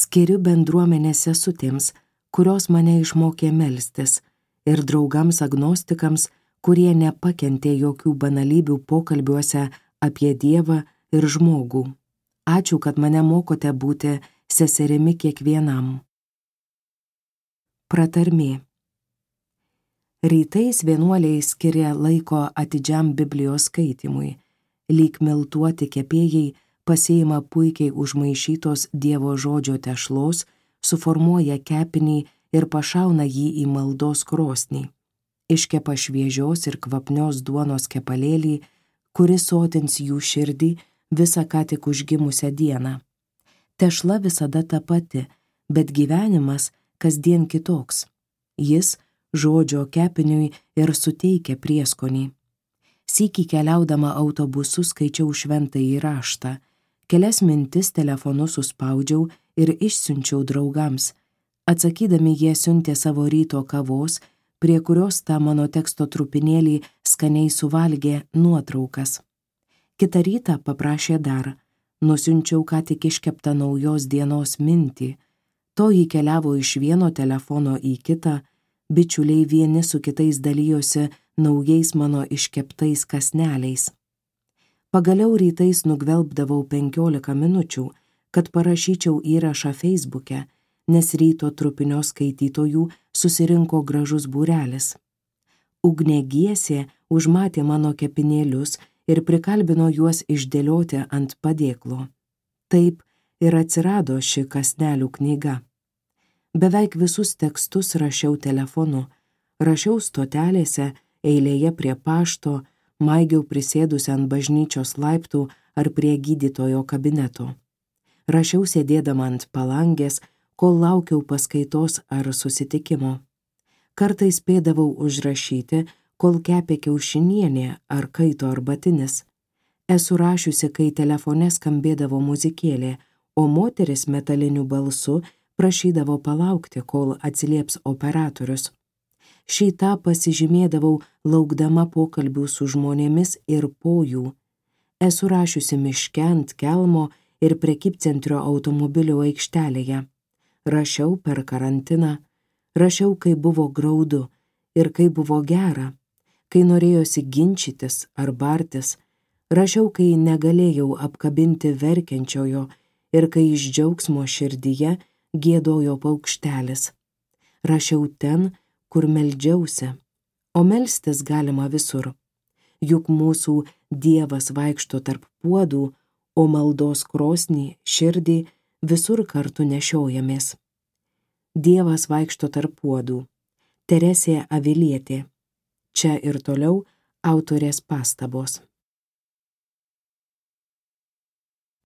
skiriu bendruomenės sesutėms, kurios mane išmokė melstis, ir draugams agnostikams, kurie nepakentė jokių banalybių pokalbiuose apie Dievą ir žmogų. Ačiū, kad mane mokote būti seserimi kiekvienam. Pratarmė. Rytais vienuoliai skiria laiko atidžiam Biblijos skaitimui. Lyg miltuoti kepėjai pasiima puikiai užmaišytos Dievo žodžio tešlos, suformuoja kepinį ir pašauna jį į maldos krosnį. Iškepa šviežios ir kvapnios duonos kepalėlį, kuris sotins jų širdį visą ką tik užgimusią dieną. Tešla visada ta pati, bet gyvenimas kasdien kitoks. Jis žodžio kepiniui ir suteikia prieskonį. Sykį keliaudama autobusu skaičiau šventąjį raštą, kelias mintis telefonu suspaudžiau ir išsiunčiau draugams. Atsakydami jie siuntė savo ryto kavos, prie kurios tą mano teksto trupinėlį skaniai suvalgė nuotraukas. Kitą rytą paprašė dar, nusiunčiau ką tik iškeptą naujos dienos mintį. Toji keliavo iš vieno telefono į kitą, bičiuliai vieni su kitais dalijosi naujais mano iškeptais kąsneliais. Pagaliau rytais nugvelbdavau 15 minučių, kad parašyčiau įrašą Feisbuke, nes ryto trupinio skaitytojų susirinko gražus būrelis. Ugnė Giesė užmatė mano kepinėlius ir prikalbino juos išdėlioti ant padėklo. Taip ir atsirado ši kąsnelių knyga. Beveik visus tekstus rašiau telefonu, rašiau stotelėse, eilėje prie pašto, maigiau prisėdusi ant bažnyčios laiptų ar prie gydytojo kabineto. Rašiau sėdėdama ant palangės, kol laukiau paskaitos ar susitikimo. Kartais spėdavau užrašyti, kol kepė kiaušinienė ar kaito arbatinis. Esu rašiusi, kai telefone skambėdavo muzikėlė, o moteris metaliniu balsu prašydavo palaukti, kol atsilieps operatorius. Šį tą pasižymėdavau laukdama pokalbių su žmonėmis ir po jų. Esu rašiusi miške ant kelmo ir prekybcentrio automobilio aikštelėje. Rašiau per karantiną, rašiau, kai buvo graudu ir kai buvo gera, kai norėjosi ginčytis ar bartis, rašiau, kai negalėjau apkabinti verkiančiojo ir kai iš džiaugsmo širdyje giedojo paukštelis. Rašiau ten, kur meldžiausi, o melstis galima visur. Juk mūsų Dievas vaikšto tarp puodų, o maldos krosnį, širdį visur kartu nešiojamės. Dievas vaikšto tarp puodų. Teresė Avilietė. Čia ir toliau autorės pastabos.